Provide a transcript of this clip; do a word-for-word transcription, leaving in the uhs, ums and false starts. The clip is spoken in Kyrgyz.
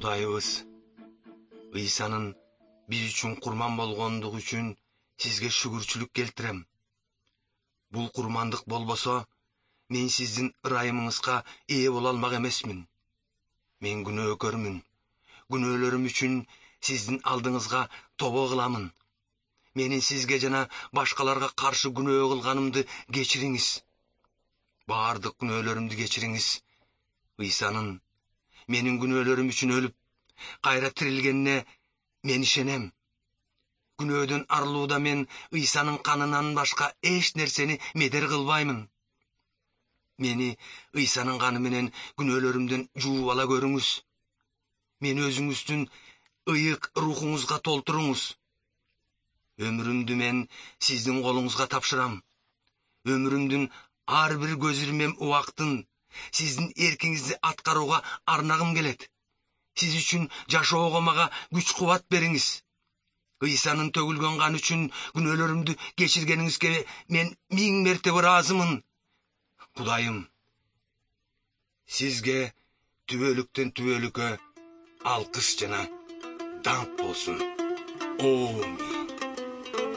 Кудайыбыз Ыйсанын биз үчүн курман болгондугу үчүн сизге шүгүрчүлүк келтирем. Бул курмандык болбосо, мен сиздин ырайымыңызга ээ боло алмак эмесмин. Мен күнөөкөрмүн. Күнөөлөрүм үчүн сиздин алдыңызга тобо кыламын. Менин сизге жана башкаларга каршы күнөө кылганымды кечириңиз. Баардык күнөөлөрүмдү кечириңиз. Ыйсанын менин күнөөлөрүм үчүн өлүп, кайра тирилгенине мен ишенем. Күнөөдөн арылууда мен Ыйсанын канынан башка эч нерсени медер кылбаймын. Мени Ыйсанын каны менен күнөөлөрүмдөн жууп ала көрүңүз. Мени өзүңүздүн ыйык рухуңузга толтуруңуз. Өмүрүмдү мен сиздин колуңузга тапшырам. Өмүрүмдүн ар бир көз ирмем убактын сиздин эркиңизди аткарууга арнагым келет. Сиз үчүн жашоого мага күч кубат бериңиз. Ыйсанын төгүлгөн каны үчүн күнөөлөрүмдү кечиргениңизге мен миң мертебе ыраазымын. Кудайым, сизге түбөлүктөн түбөлүккө алкыш жана даңк болсун. Аминь.